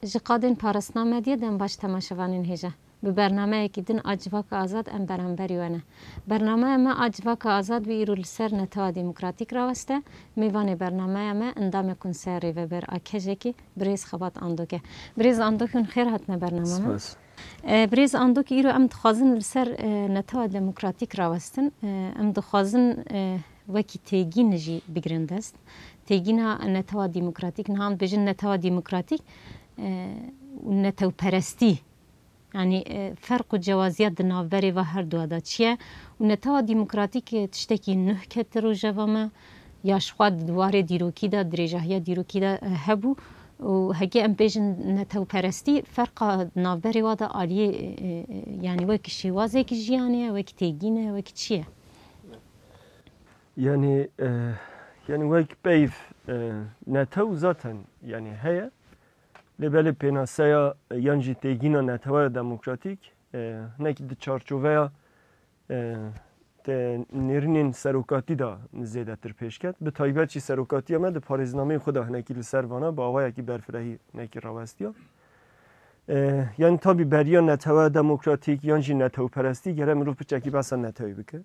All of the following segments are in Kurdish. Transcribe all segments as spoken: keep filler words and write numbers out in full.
Ji qadên parastina medyê dem baş temaşevanên hêja. Bi bernameyekî din a Civaka Azad em beramberî we ne. Bernameya me a Civaka Azad bi îro li ser Netewa Demokratîk raweste. Mêvanê bernameya me endamê Konseya Rêveber a Kejekî, birêz Xebat Andok e. Birêz Andok, hûn xêr hatine bername me. Spas. E, birêz Andok, îro em dixwazin li ser, e, Netewa Demokratîk rawestin. E, em dixwazin, e, wekî têgîn jî bigirin dest. Têgîna Netewa Demokratîk, niha em dibêjin Netewa Demokratîk, e, û netewperestî. Yanî, e, ferq û cewaziya di navberê va her dua de çi ye? Û Netewa Demokratîk, e, tiştekî nuh kete rojeva me, ya ji xwe di warê dîrokî de, dirêjahiya dîrokî de, e, hebû. Û heke em bêjin netewperestî, ferqa navberê wa de aliyê, e, e, yanî wek şêwazekî jiyanê ye, wek têgîn e, wek çi ye? Yanî, e, yanî wek peyv, e, netew zaten yanî heye. Lê belê pênaseya, e, yan jî têgîna neteweya demokratîk, e, hinekî di çarçoveya, e, te nêrînên serokatî de zêdetir pêş ket. Bi taybet jî serokatiya me di parêznameyê xwe de hinekî li ser vana bi awayekî berfirehî hinekî rawestiya. E, yanî tabî beriya neteweya demokratîk yan jî netewperestî gere mirov piçekî behsa netewê bike.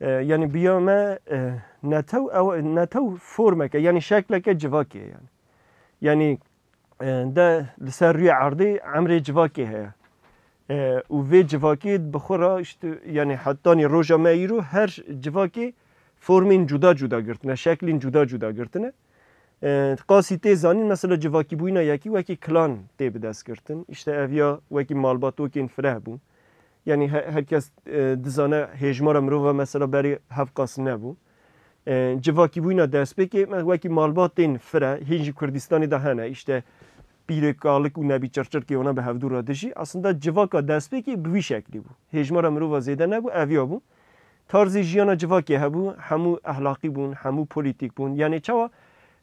E, yanî biya me, e, netew, ew, netew formeke, yanî şekleke civakê ye yanî. Yanî, e, de li ser rûyê erdê emrê civakê heye. E, û vê civakê bi xwe re, işte, yanî hetanî roja me îro her civakê formên cuda cuda girtine, şeklên cuda cuda girtine. E, qasî tê zanîn, mesela civakîbûyîna yekî wekî klan tê bi dest girtin. İşte ev ya wekî malbatokên fireh bûn. Yanî he-, her kes, e, dizane hêjmara mirova mesela berê hevqas nebû. E, civakîbûyîna destpêkê me wekî malbatên fireh, hîn jî Kurdistanê de hene. İşte pîrê kalik û nebî çirçirkê wana bi hevdû re dijî. Aslında civaka destpêkê bi wî şeklî bû. Hêjmara mirova zêde nebû, eviya bû. Tarzê jiyana civakê hebû, hemû ehlaqî bûn, hemû polîtîk bûn. Yanî çawa,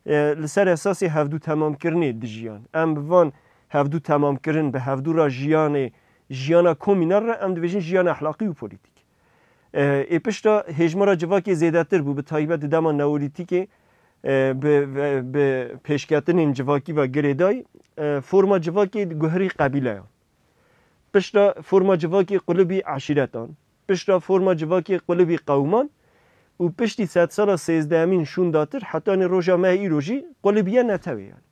e, li ser esasê hevdû temamkirinê dijiyan. Em bi van hevdû temamkirin, bi hevdû re jiyanê, jiyana komînal re em dibêjin jiyana ehlaqî û polîtîk. E, ê pişta hêjmara civakê zêdetir bû, bi taybet di dema neolîtîkê, e, bi, ve, bi pêşketinên civakî ve girêdayî, e, forma civakê guherî qebîleyan. Pişta forma civakê qulibî eşîretan. Pişta forma civakê qulibî qewman û piştî sedsala sêzdehemîn şûndatir hetanî roja me îro jî qulibiye netewê yanî.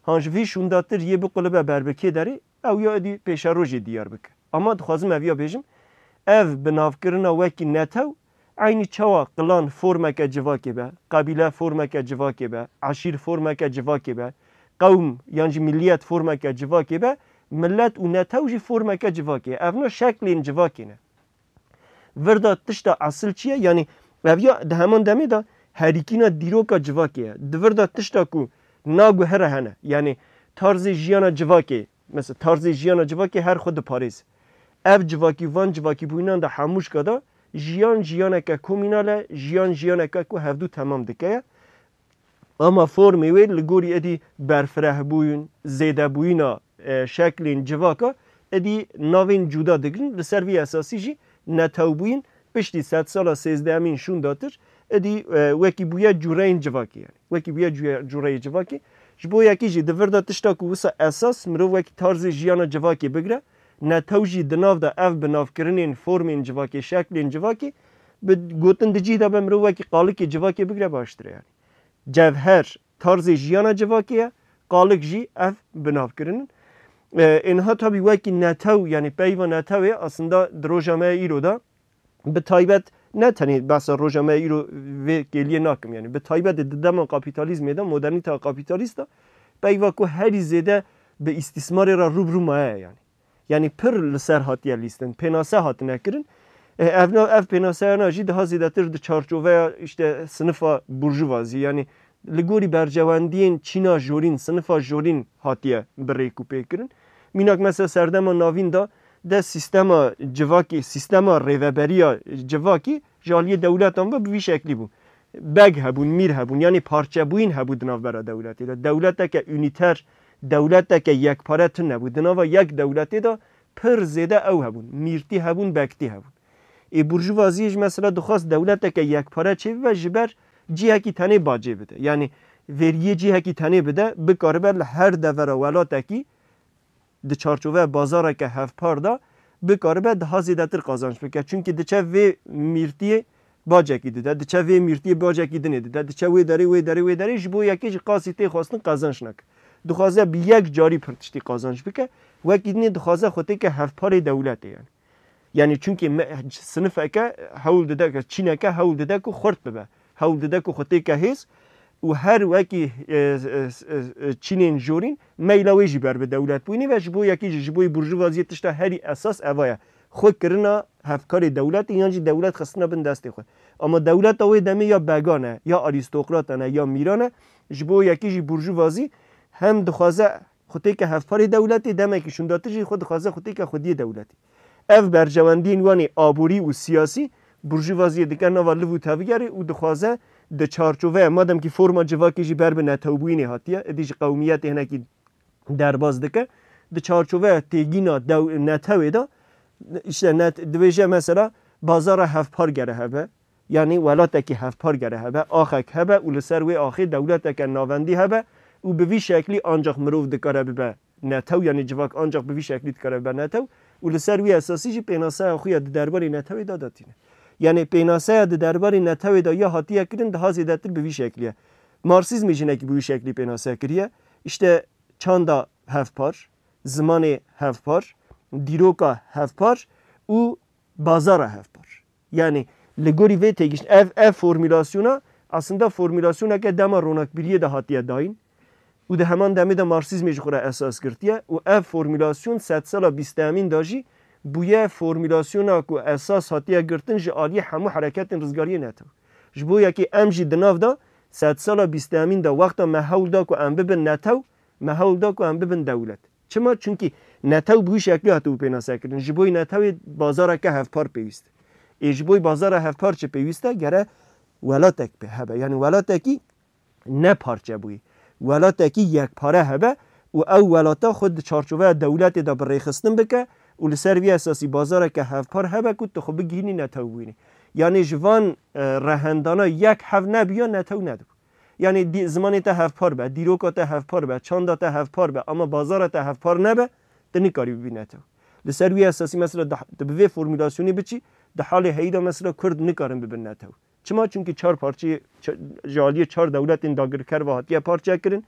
Han ji vî şûndatir yê biqulibe ber bi kê derê, ew ya êdî pêşerojê diyar bike. Ama dixwazim ev ya bêjim, ev binavkirina wekî netew, eynî çawa klan formeke civakê be, qebîle formeke civakê be, eşîr formeke civakê be, qewm yan jî miliyet formeke civakê be, millet û netew jî formeke civakê ye. Evna şeklên civakê ne. Virda tişta esil çi ye? Yanî ev ya di heman demê de herîkîna dîroka civakê ye. Di virda tişta ku naguhere hene. Yanî tarzê jiyana civakê, mesela tarzê jiyana civakê her xwe diparêz. Ev civakî van civakîbûyînan de hemûşka de jiyan jiyaneke komînal e, jiyan jiyaneke ku hevdû temam dike ye. Ama formê wê li gorî êdî berfirehbûyîn, zêdebûyîna, e, şeklên civaka êdî navên cuda digrin. Li ser vî esasî jî netewbûyîn piştî sedsala sêzdehemîn şûndatir êdî, e, wekî bûye cûreyên civakê yanî. Wekî bûye cûye-, cûreyê civakê. Ji bo yekî jî di vir de tişta ku wisa esas mirov wekî tarzê jiyana civakê bigire, netew jî di nav de ev binavkirinên formên civakê, şeklên civakê bi gotin di cih de be mirov wekî qalikê civakê bigire baştir e yanî. Cevher tarzê jiyana civakê ye, qalik jî ev binavkirin in. E, ê niha tabî wekî netew, yanî peyva netewê aslında di roja me îro de bi taybet ne tenê behsa roja me îro vê kêliyê nakim, yanî bi taybet di dema kapîtalîzmê de, modernîteya kapîtalîst de peyva ku herî zêde bi îstîsmarê re rû bi rû maye yanî. Yanî pir li ser hatiye lîstin, pênase hatine kirin. E, ev nav, ev pênaseyana jî daha zêdetir di çarçoveya, işte, sinifa burjuvazî, yanî li gorî berjewendiyên çîna jorîn, sinifa jorîn hatiye bi rêk û pêk kirin. Mînak mesela serdema navîn de, de sîstema civakî, sîstema rêveberiya civakî ji aliyê dewletan ve bi vî şeklî bû. Beg hebûn, mîr hebûn, yanî parçebûyîn hebû di navbera dewletê de. Dewleteke unîter, dewleteke yekpare tune bû. Di nava yek dewletê de pir zêde ew hebûn. Mîrtî hebûn, bektî hebûn. Ê burjuvaziyê jî mesela dixwest dewleteke yekpare çêbibe ji ber cihekî tenê bacê bide. Yanî veriyê cihekî tenê bide, bikaribe li her devera welatekî di çarçoveya bazareke hevpar de bikaribe daha zêdetir qazanç bike. Çunkî diçe vê mîrtiyê bacekî dide, diçe vê mîrtiyê bacekî dinê dide, diçe wê derê, wê derê, wê derê, ji bo yekê jî qasî tê xwestin qazanç nake. Dixwaze bi yek carî pir tiştî qazanç bike, wekî dinê dixwaze xwe têke hevparê dewletê yani. Yani çunkî me, sinifeke hewl dide, çîneke hewl dide ku xurt bibe. Hewl dide ku xwe têke hêz û her wekî, e, e, e, e, çînên jorîn meyla wê jî ber bi dewlet bûyînê ve ji bo yekî jî, ji bo burjuvaziyê tişta herî esas eva ye. Xwe kirina hevkarê dewletê yan jî dewlet xistina bin destê xwe. Ama dewleta wê demê ya began e, ya arîstokratan e, ya mîran e. Ji bo yekî jî burjuvazî hem dixwaze xwe têke hevparê dewletê, demekî şûndatir jî xwe dixwaze xwe têke xwediyê dewletê. Ev berjewendiyên wan ê aborî û siyasî burjuvaziyê dike nava liv û tevgerê û dixwaze di çarçoveya, madem kî forma civakê jî ber bi netewbûyînê hatiye, êdî ji qewmiyetê hinekî derbas dike, di çarçoveya têgîna dew-, netewê de, işte net-, dibêje mesela bazara hevpar gere hebe, yanî welatekî hevpar gere hebe, axek hebe û li ser wê axê dewleteke navendî hebe û bi vî şeklî ancaq mirov dikare bibe netew, yanî civak ancaq bi vî şeklî dikare bibe netew û li ser wî esasî jî pênaseya xwe ya di derbarê netewê de datîne. Yanî pênaseya di derbarê netewê de ya hatiye kirin daha zêdetir bi vî şeklî ye. Marksîzmê jî hinekî bi wî şeklî pênase kiriye. İşte çanda hevpar, zimanê hevpar, dîroka hevpar û bazara hevpar. Yani li gorî vê têgişt-, ev, ev formulasyona aslında formulasyoneke dema ronakbiriyê de hatiye dayîn û di heman demê de Marksîzmê ji xwe re esas girtiye û ev formulasyon sedsala bîstehemîn de jî bûye formulasyona ku esas hatiye girtin ji aliyê hemû hereketên rizgariyê netew. Ji bo yekê em jî di nav de sedsala bîstehemîn de wexta me hewl da ku em bibin netew, me hewl da ku em bibin dewlet. Çima? Çunkî netew bi wî şeklî hatibû pênasekirin. Ji bo netewê bazareke hevpar pêwîst e. Ê ji bo bazara hevpar çi pêwîst e? Gere welatek pê hebe. Yanî welatekî ne parçe bûyî. Welatekî yekpare hebe û ew welata xwe di çarçoveya dewletê de bi rêxistin bike û li ser vî esasî bazareke hevpar hebe ku tu xwe bigihînî netewbûyînê. Yanî ji van, e, rehendana yek hev nebiya netew nedibû. Yanî dî-, zimanê te hevpar be, dîroka te hevpar be, çanda te hevpar be, ama bazara te hevpar nebe, tu nikarî bibî netew. Li ser wî esasî mesela di, tu bi vê formulasyonê biçî, di halê heyî de mesela Kurd nikarin bibin netew. Çima? Çunkî çar parçeyê, ça-, ji aliyê çar dewletên dagirker ve hatiye parçe kirin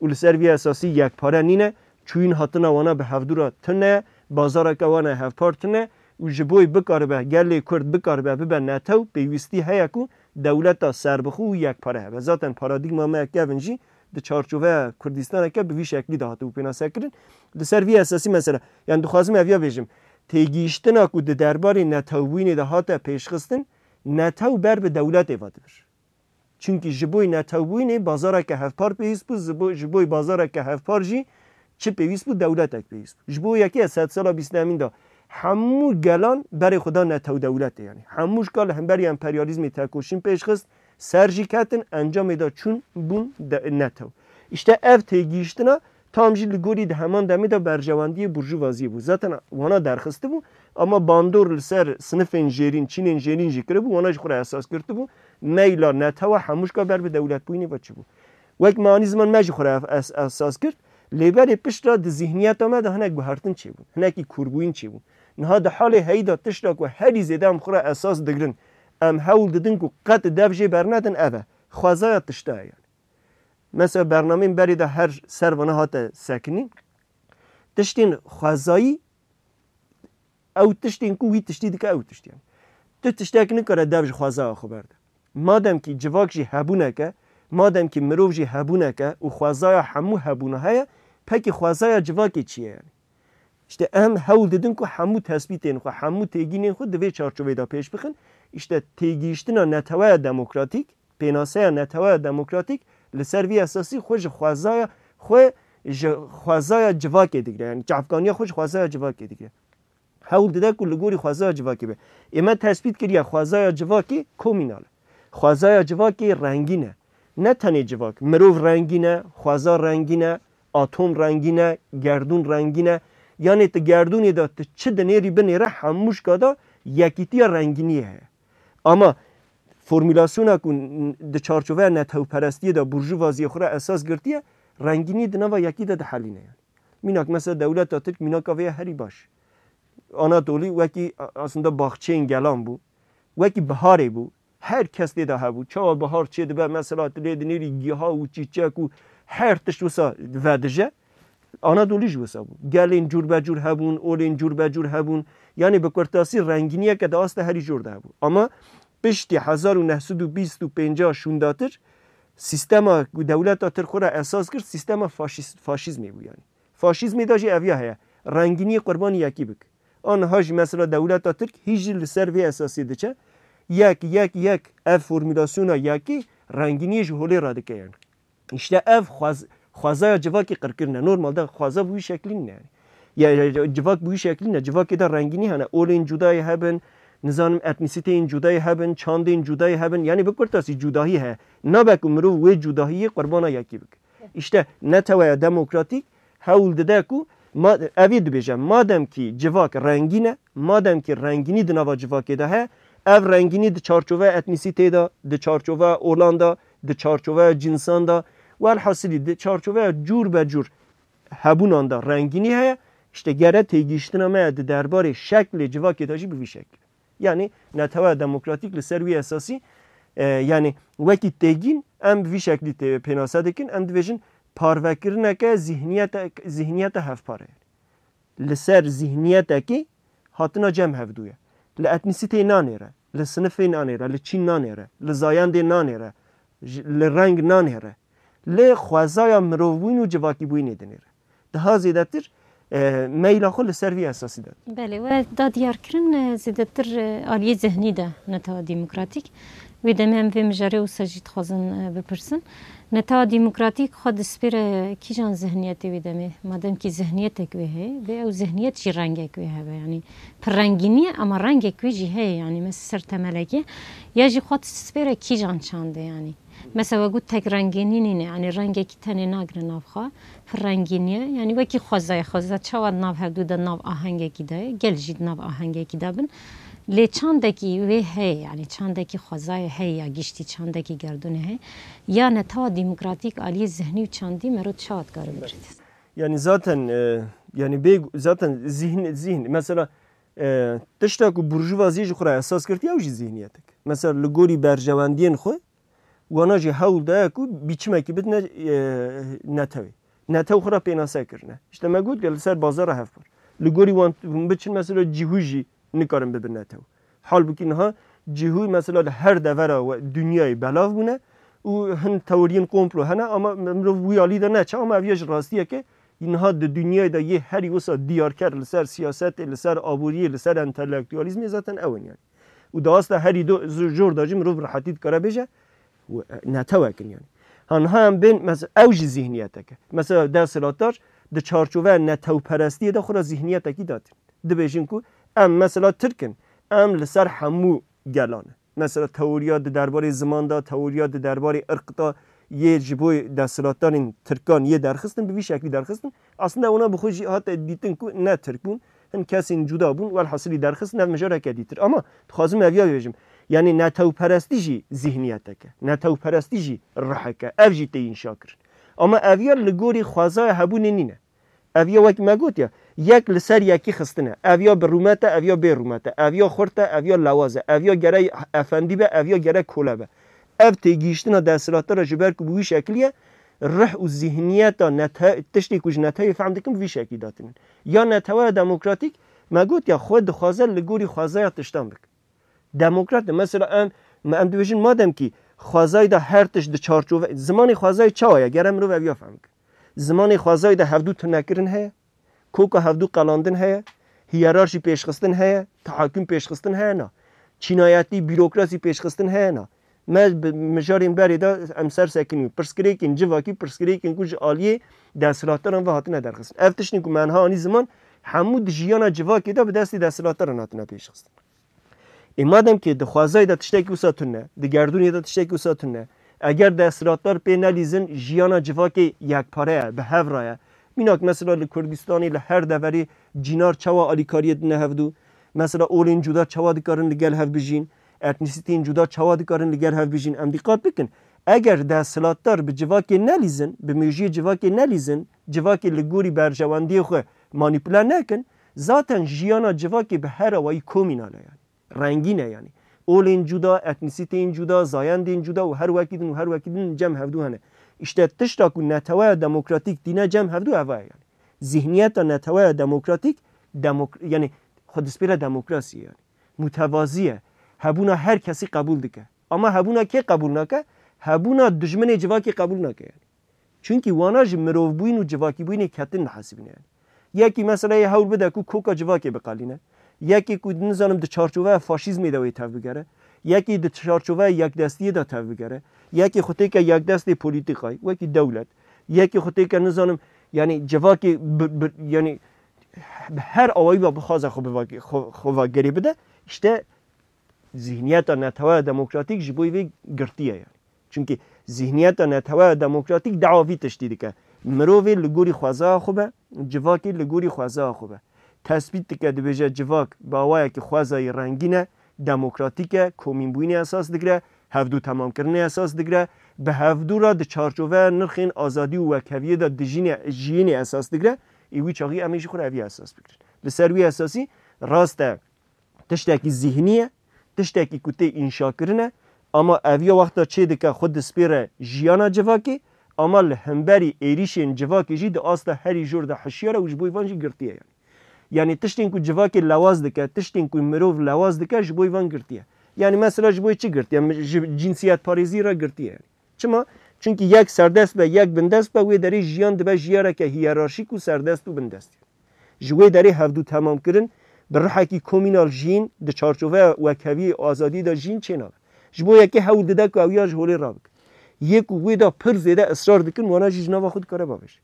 û li ser vî esasî yekpare nîne, çûyîn hatina wana bi hevdû re tune ye, bazareke wana hevpar tune û ji bo bikaribe, gelê Kurd bikaribe bibe netew, pêwîstî heye ku dewleta serbixwe û yekpare hebe. Zaten paradîgma me kevin jî di çarçoveya Kurdistaneke bi vî şeklî de hatibû pênasekirin. Li ser vî esasî mesela, yani dixwazim ev ya bêjim, têgihiştina ku di derbarê netewbûyînê de hate pêşxistin, netew ber bi dewletê ve dibir. Çunkî ji bo netewbûyînê bazareke hevpar pêwîst bû, ji bo, ji bo bazareke hevpar jî çi pêwîst bû? Dewletek pêwîst bû. Ji bo yekê sedsala bîstehemîn de hemû gelan berê xwe da netew dewletê, yanî hemû ji ka li hemberî emperyalîzmê tekoşîn pêş xist, ser jî ketin, encamê de çûn bûn de-, netew. Îşte ev têgihiştina tam jî li gorî di heman demê de berjewendiyê burjuvaziyê bû. Zaten wana derxistibû, ama bandor li ser sinifên jêrîn, çînên jêrîn jî kiribû, wana ji xwe re esas girtibû. Meyla netewa hemû ji ka ber bi dewletbûyînê ve çi bû. Wek me anî ziman me jî xwe re es-, esas girt, lê berê pişt re di zîhniyeta me de hinek guhertin çêbûn, hinekî kûrbûyîn çêbûn. Niha di halê heyî de tişta ku herî zêde em xwe re esas digirin, em hewl didin ku qet dev jê bernedin ev e. Xwezaya tişta ye yani. Mesela bernameyên berê de her ser vana hate sekinîn. Tiştên xwezayî, ew tiştên ku wî tiştî dike ew tiştî ye. Tu tiştek nikare dev ji xwezaya xwe berde. Madem kî civak jî hebûneke, madem kî mirov jî hebûneke û xwezaya hemû hebûna heye, pekî xwezaya civakê çi ye yani? Îşte em hewl didin ku hemû tespîtên xwe, hemû têgînên xwe di vê çarçoveyê de pêş bixin. Îşte têgihiştina neteweya demokratîk, pênaseya neteweya demokratîk li ser vî esasî xwe ji xwezaya, xwe ji xwezaya civakê digire. Yani çavkaniya xwe ji xwezaya civakê digire. Hewl dide ku li gorî xwezaya civakê be. Ê me tespît kiriye xwezaya civakê komînal e. Xwezaya civakê rengîn e. Ne tenê civak, mirov rengîn e, xweza rengîn e, atom rengîn e, gerdûn rengîn e. Yanê tu gerdûnê de tu çi dinêrî binêre hemû ji ka de yekîtiya rengîniyê heye. Ama formulasyona ku n-, di çarçoveya netewperestiyê de burjuvaziyê xwe re esas girtiye, rengînî di nava yekî de dihelîne yani. Mînak mesela dewleta Tirk mînaka vê ye herî baş. Anatolî wekî a-, aslında baxçeyên gelan bû. Wekî biharê bû. Her kes tê de hebû. Çawa bihar çê dibe mesela tu lê dinêrî giha û çîçek û her tişt wisa vedije. Anadolî jî wisa bû. Gelên cûrbecûr hebûn, olên cûrbecûr hebûn. Yanî bi kurtasî rengîniyeke di asta herî jor de hebû. Ama piştî hezar û neh sed û bîst û pênc şûndatir sîstema ku dewleta Tirk xwe re esas kir, sîstema faşîst, faşîzmê bû yanî. Faşîzmê de jî ev ya heye. Rengîniyê qurbanî yekî bik. Aniha jî mesela dewleta Tirk hî jî li ser vê esasî diçe. Yek, yek, yek, ev formulasyona yekî rengîniyê ji holê radike yanî. Îşte ev xwez-, xwezaya civakê qirkirine. Normalde xweza bi wî şeklî nîne yanî. Ya, ya, ya, civak bi wî şeklî ne. Civakê de rengînî hene. Olên cudayê hebin, nizanim etnîsîteyên cudayê hebin, çandên cudayê hebin. Yanî bi kurtasî cudahî heye. Nabe ku mirov wê cudahiyê qurbana yekî bike. Îşte neteweya demokratîk hewl dide ku ma-, evî dibêje, madem kî civak rengîn e, madem kî rengînî di nava civakê de heye, ev rengînî di çarçoveya etnîsîtê de, di çarçoveya olan de, di çarçoveya cinsan de, welhasilî di çarçoveya cûr be cûr hebûnan de rengînî heye, îşte gere têgihiştina me di derbarê şeklê civakê de jî bi vî şeklî. Yanî neteweya demokratîk li ser wî esasî, e, yanî wekî têgîn em bi vî şeklî tê-, pênase dikin, em dibêjin parvekirineke zihniyete, zihniyete hevpar e. Li ser zihniyetekî hatina cem hevdû ye. Li etnîsîteyê nanêre, li sinifê nanêre, li çîn nanêre, li zayendê nanêre, ji, li reng nanêre. Lê xwezaya mirovbûyîn û civakîbûyînê dinêre. Daha zêdetir, e, meyla xwe li ser vî esasî de. Belê, we da diyarkirin, e, zêdetir, e, aliyê zihnî de netewa demokratîk. Wê demê em vê mijarê wisa jî dixwazin, e, bipirsin. Netewa demokratîk xwe dispêre kîjan zihniyetê wê demê? Madem kî zihniyetek wê heye, vê ew zihniyet jî rengek wê hebe. Yanî pirrengînî ye, ama rengek wê jî heye. Yanî mes-, ser temelekê. Ya jî xwe dispêre kîjan çandê yanî? Mesela we got tek rengînî nîne, yanî rengekî tenê nagire nav xwe, pirrengînî ye. Yanî wekî xwezayê, xweza çawa di nav hevdû de nav ahengekî de ye, gel jî di nav ahengekî de bin. Lê çandekî wê heye, yanî çandekî xwezayê heye ya giştî, çandekî gerdûnê heye. Ya netewa demokratîk aliyê zihnî û çandî mero çawa dikare bigirît? Yani zaten, e, yani bê, zaten zihin, zihin, mesela, e, tişta ku burjuvaziyê ji xwe re esas girtiye, ew jî zihniyetek. Mesela li gorî berjewendiyên xwe, wana jî hewl daye ku biçimekî bidine, e, netewê. Netew xwe re pênase kirine. İşte me got ya li ser bazara hevpar. Li gorî wan hûn biçin mesela cihû jî nikarin bibin netew. Halbûkî niha cihû mesela li her devera we, dinyayê belav bûne û hin teoriyên komplo hene ama mirov wî alî de neçe ama ev ya ji rastiyeke niha di dinyayê de yê herî wisa diyarker li ser siyasetê, li ser aboriyê, li ser entelektualîzmê zaten ew in yani. Û di asta herî do-, zo-, jor de jî mirov bi rehetî dikare bêje, û, e, netewek in yani. Ha niha em bên, mes-, ew jî zihniyetek e. Mesela desthilatdar di çarçoveya netewperestiyê de xwe re zihniyetekî datin. Dibêjin ku em mesela Tirk in, em li ser hemû gelan e. Mesela teoriya di derbarê ziman de, teoriya di derbarê irq de yê ji bo desthilatdarên Tirkan yê derxistin, bi vî şeklî derxistin. Aslında wana bi xwe jî hate dîtin ku ne Tirk bûn, hin kesên cuda bûn, welhasilî derxistin ev mijareke dîtir. Ama dixwazim ev ya bêjim. Yani netewperestî jî zihniyetek e. Netewperestî jî rihek e. Ev jî tê înşa kirin. Ama ev ya li gorî xwezaya hebûnê nîne. Ev ya wek me gotiye, yek li ser yekî xistine. Ev ya bi rûmet e, ev ya bê rûmet e. Ev ya xurt e, ev ya lewaz e. Ev ya gere efendî be, ev ya gere kole be. Ev têgihiştina desthilatdara ji ber ku bi wî şekilî ye, rih û zihniyeta nete-, tiştê ku ji netewê fehm dikin, bi vî şekilî datinin. Ya neteweya demokratîk, me gotiye, xwe dixwaze li gorî xwezaya tiştan bike. Demokrat e. Mesela em, me em dibêjin madem kî xwezayî de her tişt di çarçove, zimanê xwezayî çawa ye? Gere mirov ev ya fehm bike. Zimanê xwezayî de hevdû tunekirin heye, koka hevdû qelandin heye, hiyerarşî pêşxistin heye, tahakum pêşxistin heye na. Çînayetî, bîrokrasî pêşxistin heye na. Me bi mijarên berê de em ser sekinî. Pirsgirêkên civakî, pirsgirêkên ku ji aliyê desthilatdaran ve hatine derxistin. Ev tiştên ku me niha anî ziman, hemû di jiyana civakê de bi destê desthilatdaran hatine pêşxistin. Ê madem ki di xwezayê de tiştekî wisa tune, di gerdûnê de tiştekî wisa tune, eger desthilatdar pê nelîzin, jiyana civakê yekpare ye, bi hev re ye. Mînak mesela li Kurdistanê li her deverê cînar çawa alîkariyê dine hevdû, mesela olên cuda çawa dikarin li gel hev bijîn, etnîsîteyên cuda çawa dikarin li gel hev bijîn. Em dîqat bikin, Eger desthilatdar bi civakê nelîzin, bi mejiyê civakê nelîzin, civakê li gorî berjewendiyê xwe manîpule nekin, zaten jiyana civakê bi her awayî komînal e yani. Rengîn e yani. Olên cuda, etnîsîteyên cuda, zayendên cuda û her wekî din û her wekî din cem hevdû hene. Îşte tişta ku neteweya demokratîk tîne cem hevdû eva ye yani. Zihniyeta neteweya demokratîk, demok-, yani xwe dispêre demokrasiyê yani. Mutevazî ye. Hebûna her kesî qebûl dike. Ama hebûna kê qebûl nake? Hebûna dijminê civakê qebûl nake yani. Çunkî wana ji mirovbûyîn û civakîbûyînê ketin dihesibîne yani. Yekî mesela yê hewl bide ku koka civakê biqelîne. Yekî ku nizanim di çarçoveya faşîzmê de wê tev bigere. Yekî di çarçoveya yekdestiyê de tev bigere. Yekî xwe têke yekdestê polîtîkayê, wekî dewlet. Yekî xwe têke nizanim, yani civakê bi, bi, yani bi her awayî ve bixwaze xwe biva-, xwe, xwe va gerê bide. İşte zihniyeta neteweya demokratîk ji bo vê girtî ye yani. Çunkî zihniyeta neteweya demokratîk dawa vî tiştî dike. Mirovê li gorî xwezaya xwe be, civakê li gorî xwezaya xwe be. Tespît dike, dibêje civak bi awayekî xwezayî rengîn e, demokratîk e, komînbûyînê esas digire, hevdû temamkirinê esas digire, bi hevdû re di çarçoveya nirxên azadî û wekheviyê de dijînê, jiyînê esas digire, ê wî çaxî em ê jî xwe re evî esas bigirin. Li ser wî esasî rast e, tiştekî zîhnî ye, tiştekî ku tê înşakirin e, ama eviya wexta çê dike xwe dispêre jiyana civakê, ama li hemberî êrîşên civakê jî di asta herî jor de hişyar e û ji bo van jî girtî ye yani. Yani tiştên ku civakê lewaz dike, tiştên ku mirov lewaz dike ji bo van girtî ye. Yani mesela ji bo çi girtî ye? Ji cinsiyetparêzî re girtî ye yani. Çima? Çunkî yek serdest be, yek bindest be, wê derê jiyan dibe jiyareke hiyerarşîk û serdest û bindest. Ji wê derê hevdû temamkirin, bi rihekî komînal jiyîn, di çarçoveya wekheviyê azadî de jiyîn çênabe. Ji bo yekê hewl dide ku ew ya ji holê rabike. Yê ku wê de pir zêde israr dikin, wana jî ji nava xwe dikare bavêje.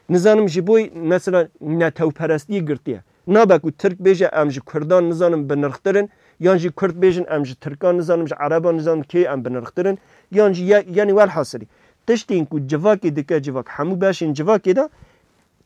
Nizanim ji bo mesela netewperestiyê girtiye. Nabe ku Tirk bêje em ji Kurdan nizanim binirxtir in, yan jî Kurd bêjin em ji Tirkan nizanim ji Ereban nizanim kê em binirxtir in, yan jî ye-, yani welhasilî. Tiştên ku civakê dike civak, hemû beşên civakê de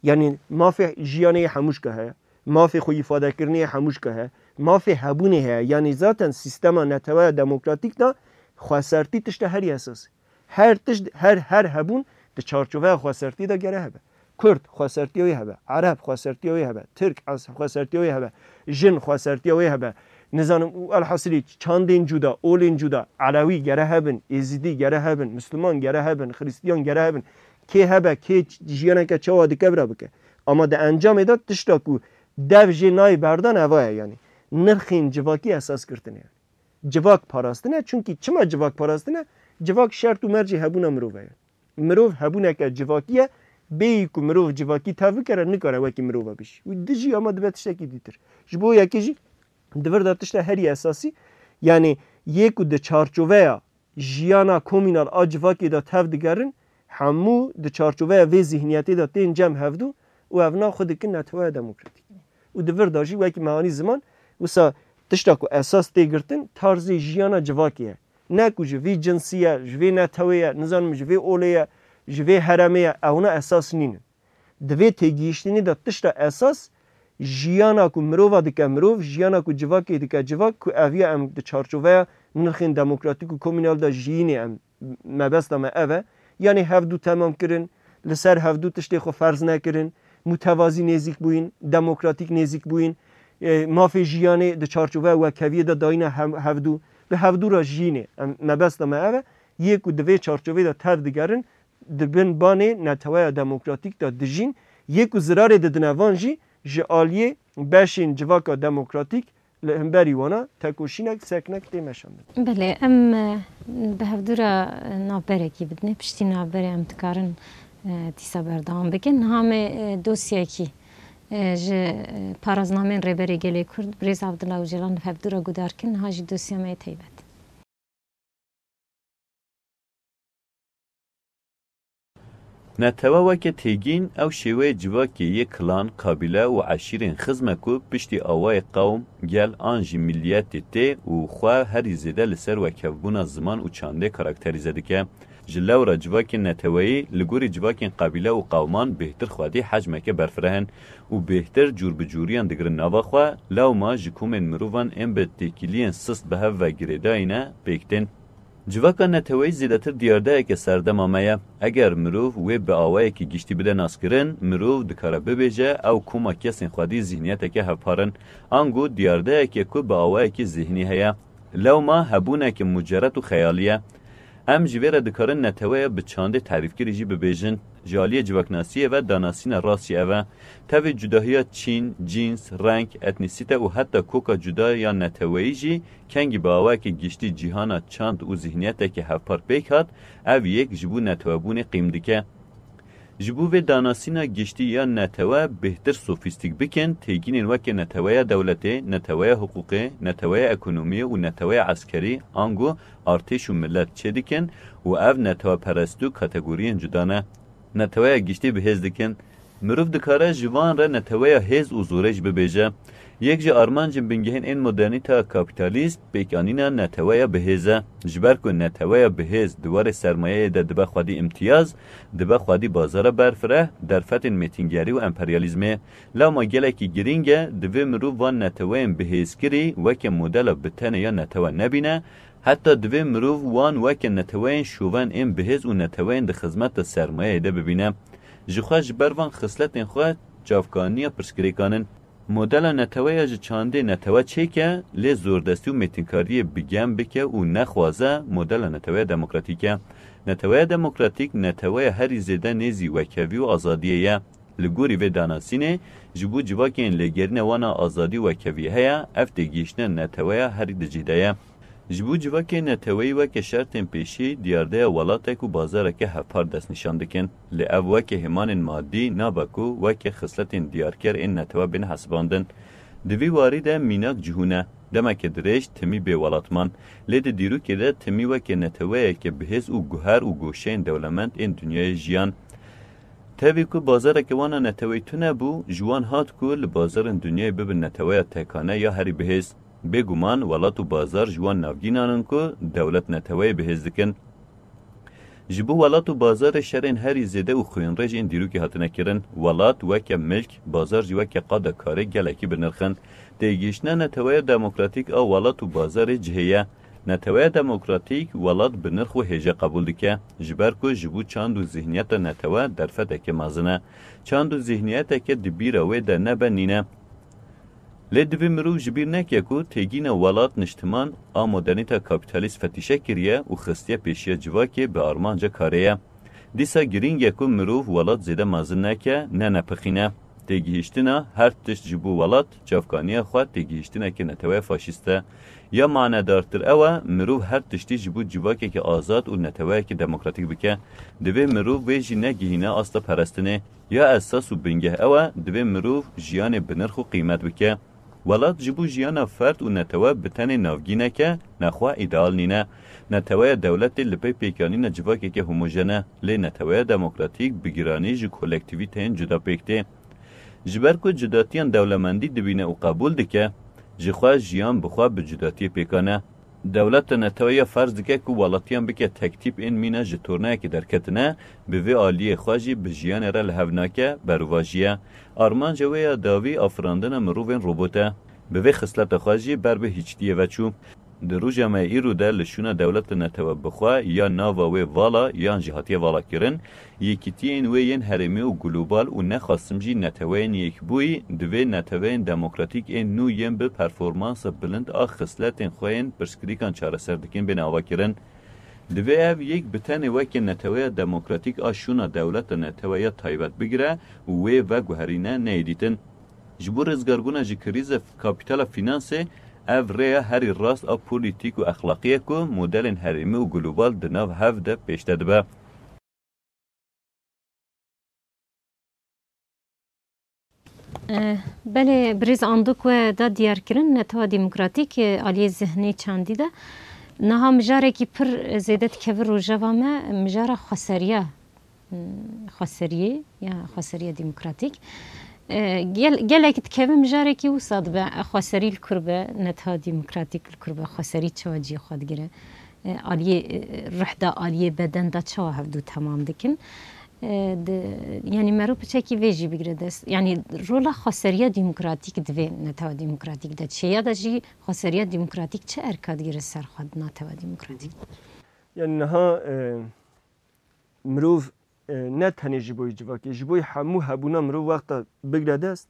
Yanî mafê jiyanê yê hemû ji ke heye. Mafê xwe îfadekirinê yê hemû ji ke heye. Mafê hebûnê heye. Yanî zaten sîstema neteweya demokratîk de xwesertî tişta herî esasî. Her tişt, her, her hebûn di çarçoveya xwesertî de gere hebe. Kurd xwesertiya wê hebe. Ereb xwesertiya wê hebe. Tirk es-, xwesertiya wê hebe. Jin xwesertiya wê hebe. Nizanim û elhasilî çandên cuda, olên cuda, Elewî gere hebin, Êzidî gere hebin, Misliman gere hebin, Xiristiyan gere hebin. Kê hebe, kê ç-, jiyaneke çawa dike bira bike. Ama di encamê de tişta ku dev jê nayê berdan eva ye yanî. Nirxên civakî esas girtine. Civak parastine, çunkî çima civak parastine? Civak şert û mercê hebûna mirov e. Mirov hebûneke civakî ye, bêyî ku mirov civakî tev bikere, nikare wekî mirova bijî. Wî dijî ama dibe tiştekî dîtir. Ji bo yekê jî di vir de tişta herî esasî, yanî yê ku di çarçoveya jiyana komînal a civakê de tev digerin, hemû di çarçoveya vê zihniyetê de tên cem hevdû û evna xwe dikin neteweya demokratîk. Û di vir de jî wekî mehanî ziman, wisa tişta ku esas tê girtin, tarzê jiyana civakê ye. Ne ku ji vî cinsî ye, ji vê netewê ye, nizanim ji vê olê ye, ji vê heremê ye, ewna esas nînin. Di vê têgihiştinê de tişta esas jiyana ku mirova dike mirov, jiyana ku civakê dike civak, ku ev ya em di çarçoveya nirxên demokratîk û komînal de jiyînê em, mebesta me ev e. Yanî hevdû temam kirin, li ser hevdû tiştê xwe ferz nekirin, mutevazî nêzîk bûyîn, demokratîk nêzîk bûyîn, e, mafê jiyanê di çarçoveya wekheviyê de dayîne hem-, hevdû, bi hevdû re jiyînê. Em, mebesta me ev e. Yê ku di vê çarçovê de tev digerin, di bin banê neteweya demokratîk de dijîn, yê ku zirarê didine van jî ji aliyê beşên civaka demokratîk li hemberî wana tekoşînek, seknek tê meşandin. Belê, em, e, bi hevdû re navberekî bidinê, piştî navberê em dikarin, e, dîsa berdewam bikin. Niha me, e, dosyekî, e, ji, e, paraznameyên Rêberê Gelê Kurd, Birêz Abdullah Ocalan li hevdû re guhdar kir, niha jî dosya me yê taybet. Netewe weke têgîn ew şêweyê civakê yê kilan, kabîle û eşîrên xizm e ku piştî awayê qewm, gel an jî miliyetê tê û xwe herî zêde li ser wekhevbûna ziman û çandê karakterîze dike. Ji lewra civakên neteweyî li gorî civakên qabîle û qewman bêhtir xwedî hecmeke berfireh in û bêhtir cûr bi cûriyan digirin nava xwe, lewma ji komên mirovan ên bi têkiliyên sist bi hev ve girêdayî ne pêk tên. Civaka neteweyî zêdetir diyardeyeke serdema me ye. Eger mirov wê bi awayekî giştî bide naskirin, mirov dikare bibêje ew koma kesên xwedî zihniyeteke hevpar in. Ango diyardeyeke ku bi awayekî zihnî heye. Lewma hebûneke mucerret û xeyalî ye. Em ji vê re dikarin neteweya bi çandê terîfkirî jî bibêjin. Ji aliyê civaknasiyê ve danasîna rast jî ev e. Tevî cudahiya çîn, cîns, reng, etnîsîte û heta koka cuda ya neteweyî jî kengî bi awayekî giştî cîhana çand û zihniyetekî hevpar pêk hat, ev yek ji bo netewebûnê qîm dike. Ji bo vê danasîna giştî ya netewe bêhtir sofîstîk bikin, têgînên weke neteweya dewletê, neteweya hiqûqê, neteweya ekonomiyê û neteweya eskerî, ango artêş û milet çêdikin û ev neteweperestî û kategoriyên cuda ne. Neteweya giştî bi hêz dikin. Mirov dikare ji van re neteweya hêz û zorê jî bibêje. Yek ji armancên bingehîn ên modernîteya kapîtalîst pêkanîna neteweya bi hêz e. Ji ber ku neteweya bi hêz di warê sermayeyê de dibe xwedî îmtiyaz, dibe xwedî bazara berfireh, derfetên mêtingerî û emperyalîzmê. Lewma gelekî girîng e, divê mirov van neteweyên bihêzkirî weke modela bi tenê ya netewe nebîne, heta divê mirov wan weke neteweyên şoven ên bihêz û neteweyên di xizmeta sermayeyê de bibîne. Ji xwe ji ber van xisletên xwe çavkaniya pirsgirêkan in. Modela neteweya ji çandê netewe çêke, lê zordestî û mêtinkariyê bi gem bike û nexwaze modela neteweya demokratîk e. Neteweya demokratîk neteweya herî zêde nêzî wekhevî û azadiyê ye. Li gorî vê danasînê, ji bo civakên lêgerîna wana azadî û wekhevî heye, ev têgihiştina neteweya herî di cih de ye. Ji bo civakê neteweyî weke şertên pêşî diyardeya welatek û bazareke hevpar destnîşan dikin. Lê ev weke hêmanên madî nabe ku weke xisletên diyarker ên netewe bên hesibandin. Di vî warî de mînak cihûn e. Demeke dirêj timî bê welat man. Lê di dîrokê de timî weke neteweyeke bihêz û guher û goşeyên dewlemend ên dinyayê jiyan. Tevî ku bazareke wana neteweyî tune bû, ji wan hat ku li bazarên dinyayê bibin neteweya tekane ya herî bihêz. Bêguman welat û bazar ji wan navgînan in ku dewlet neteweyê bihêz dikin. Ji bo welat û bazarê şerên herî zêde û xwînrêj ên dîrokê hatine kirin. Welat weke milk, bazar jî weke qada karê gelekî bi nirx in. Têgihiştina neteweya demokratîk a welat û bazarê cihê ye. Neteweya demokratîk welat bi nirx û hêje qebûl dike, ji ber ku ji bo çand û zihniyeta netewe derfeteke mezin e. Çand û zihniyeteke di bîra wê de nebe nîne. Lê divê mirov ji bîr neke ku têgîna welat, niştiman a modernîta kapîtalîst fetîşe kiriye û xistiye pêşiya civakê bi armanca karê ye. Dîsa girîng e ku mirov welat zêde mezin neke, ne nepixîne. Têgihiştina her tişt ji bo welat, çavkaniya xwe têgihiştineke neteweya faşîst e. Ya manedartir ew e, mirov her tiştî ji bo civakeke azad û neteweyeke demokratîk bike. Divê mirov vê jî negihîne asta perestinê. Ya esas û bingeh ew e, divê mirov jiyanê bi nirx û qîmet bike. Welat ji bo jiyana ferd û netewe bi tenê navgînek e, nexwe îdeal nîne. Neteweya dewletê li pey pêkanîna civakeke homojen e, lê neteweya demokratîk bi giranî ji kolektîvîteyên cuda pêk tê. Ji ber ku cudatiyan dewlemendî dibîne û qebûl dike, ji xwe jiyan bi xwe bi cudatiyê pêkan e. Dewleta netewe ya ferz dike ku welatiyan bike tektîp ên mîna ji tornayekê derketine, bi vê aliyê xwe jî bi jiyanê re li hev nake, berovajî ye. Armanca wê ya dawî afirandina mirovên robot e. Bi vê xisleta xwe jî ber bi hîçtiyê ve çû. Di roja me îro de li şûna dewleta netewe bi xwe ya nava wê vala yan jî hatiye valakirin, yekîtiyên wê yên herêmî û global û nexasim jî neteweyên yekbûyî, divê neteweyên demokratîk ên nû yên bi performansa bilind a xisletên xwe yên pirsgirêkan çareser dikin bên avakirin. Divê ev yek bi tenê weke neteweya demokratîk a şûna dewleta netewe ya taybet bigire û wê veguherîne neyê dîtin. Ji bo rizgarbûna ji krîza kapîtala fînansê, ev rêya herî rast a polîtîk û exlaqî ye ku modelên herêmî û global di nav hev de pêşde dibe. Eh, belê birêz Andik we da diyarkirin, netewa demokratîk, eh, aliyê zihnê çandî de. Niha mijarekî pir zêde dikeve rojeva me, mijara xweseriya, hmm, xweseriyê ya xweseriya demokratîk. Eh, gel-, gelek dikeve mijarekî wisa dibe, xweserî li kur be, netewa demokratîk li kur be, xweserî çawa cihê xwe digire. E, aliyê, e, ruh da, aliyê beden da çawa hevdû temam dikin? E, di, yanî mero piçekî vê jî bigire dest. Yanî rola xweseriya demokratîk di vê netewa demokratîk de çi ye? Ya da jî xweseriya demokratîk çi erka digire ser xwe di netewa demokratîk? Yani niha e, mirov e, ne tenê ji bo civakê, ji bo hemû hebûna mirov wexta bigre dest,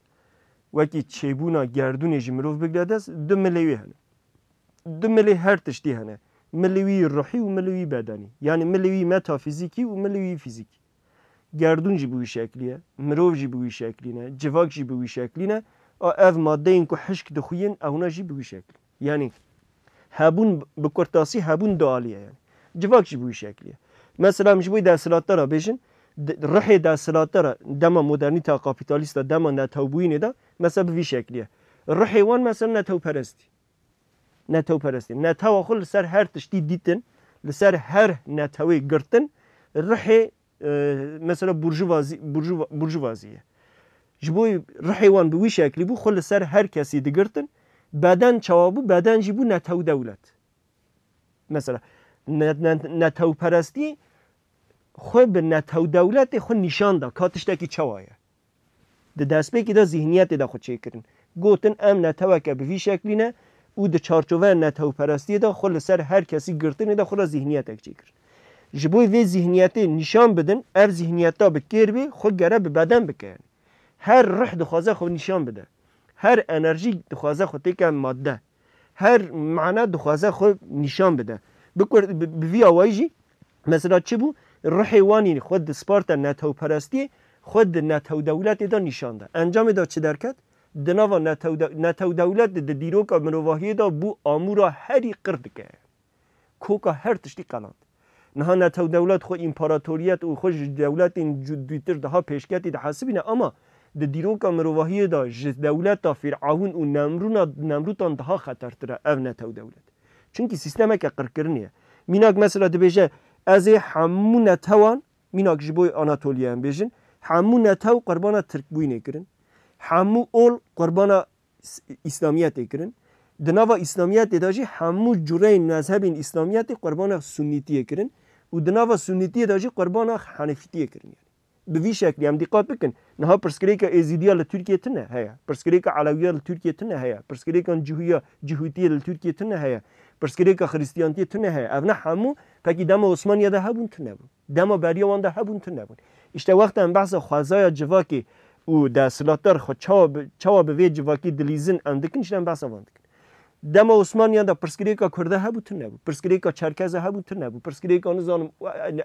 wekî çêbûna gerdûnê jî mirov bigre dest, du milê wî hene. Du milê her tiştî hene. Milê wî ruhî û milê wî bedenî. Yani milê wî metafîzîkî û milê wî fîzîkî. Gerdûn jî bi wî şeklî ye, mirov jî bi wî şeklî ne, civak jî bi wî şeklî ne. A ev madeyên ku hişk dixuyin, ewna jî bi wî şeklî. Yani hebûn bi kurtasî hebûn dualî ye yani. Civak jî bi wî şeklî ye. Mesela em ji bo desthilatdara bêjin, di- rihê desthilatdara dema modernîteya kapîtalîst de, dema netewbûyînê de, mesela bi vî şeklî ye. Rihê wan mesela netewperestî. Netewperestî. Netewa xwe li ser her tiştî dîtin, li ser her netewê girtin, rihê e, mesela burjuvazî, burjuva, burjuvazî ye. Ji bo rihê wan bi wî şeklî bû, xwe li ser her kesî digirtin. Beden çawa bû? Beden jî bû netew dewlet. Mesela ne, ne, netewperestî xwe bi netew dewletê xwe nîşan da ka tiştekî çawa ye. Di destpêkê de zîhniyetê de xwe çêkirin. Gotin, em neteweke bi vî şeklî ne û di çarçoveya netewperestiyê de xwe li ser her kesî girtinê de xwe re zîhniyetek çêkirin. Ji bo vê zîhniyetê nîşan bidin, ev zîhniyeta bi kêr bê, xwe gere bi beden bike. Her rih dixwaze xwe nîşan bide. Her enerjî dixwaze xwe têke madde. Her mana dixwaze xwe nîşan bide. Bi kur-, bi, bi vî awayî jî, mesela çi bû? Rihê wanî xwe disparte netewperestiyê, xwe di netew dewletê de nîşan da. Encamê de çi derket? Di nava netew de-, netew dewlet di, di dîroka mirovahiyê de bû amûra herî qir dike. Koka her tiştî qeland. Niha netew dewlet xwe împaratoriyet û xwe ji dewletên cu-, dûtir daha pêşketî dihesibîne, ama di dîroka mirovahiyê de ji dewleta Fîr'awn û Nemrûna, Nemrûtan daha xetertir e ev netew dewlet. Çunkî sîstemeke qirkirinê ye. Mînak mesela dibêje, ez ê hemû netewan, mînak ji bo Anatoliya em bêjin, hemû netew qurbana Tirkbûyînê kirin. Hemû ol qurbana s-, Îslamiyetê kirin. Di nava Îslamiyetê de jî hemû cureyên mezhebên Îslamiyetê qurbana Sunnîtiyê kirin û di nava Sunnîtiyê de jî qurbana Henefîtiyê kirin. Yani. Bi vî şeklî em dîqat bikin. Niha pirsgirêka Êzîdiya li Tirkiye tune heye. Pirsgirêka Elewiya li Tirkiye tune heye. Pirsgirêkan Cihûya, Cihûtiyê li Tirkiye tune heye. Pirsgirêka Xirîstiyantiyê tune heye. Ev ne hemû pekî dema Osmaniye de hebûn tune bûn. Dema beriya wan de hebûn tune bûn. Îşte wexta em behsa xwezaya civakê û desthilatdar xwe çawa bi, çawa bi vê civakî dilîzin em dikin, îşte em behsa van dikin. Dema Osmaniyan de pirsgirêka Kurda hebû tune bû. Pirsgirêka Çerkeza hebû tune bû. Pirsgirêka nizanim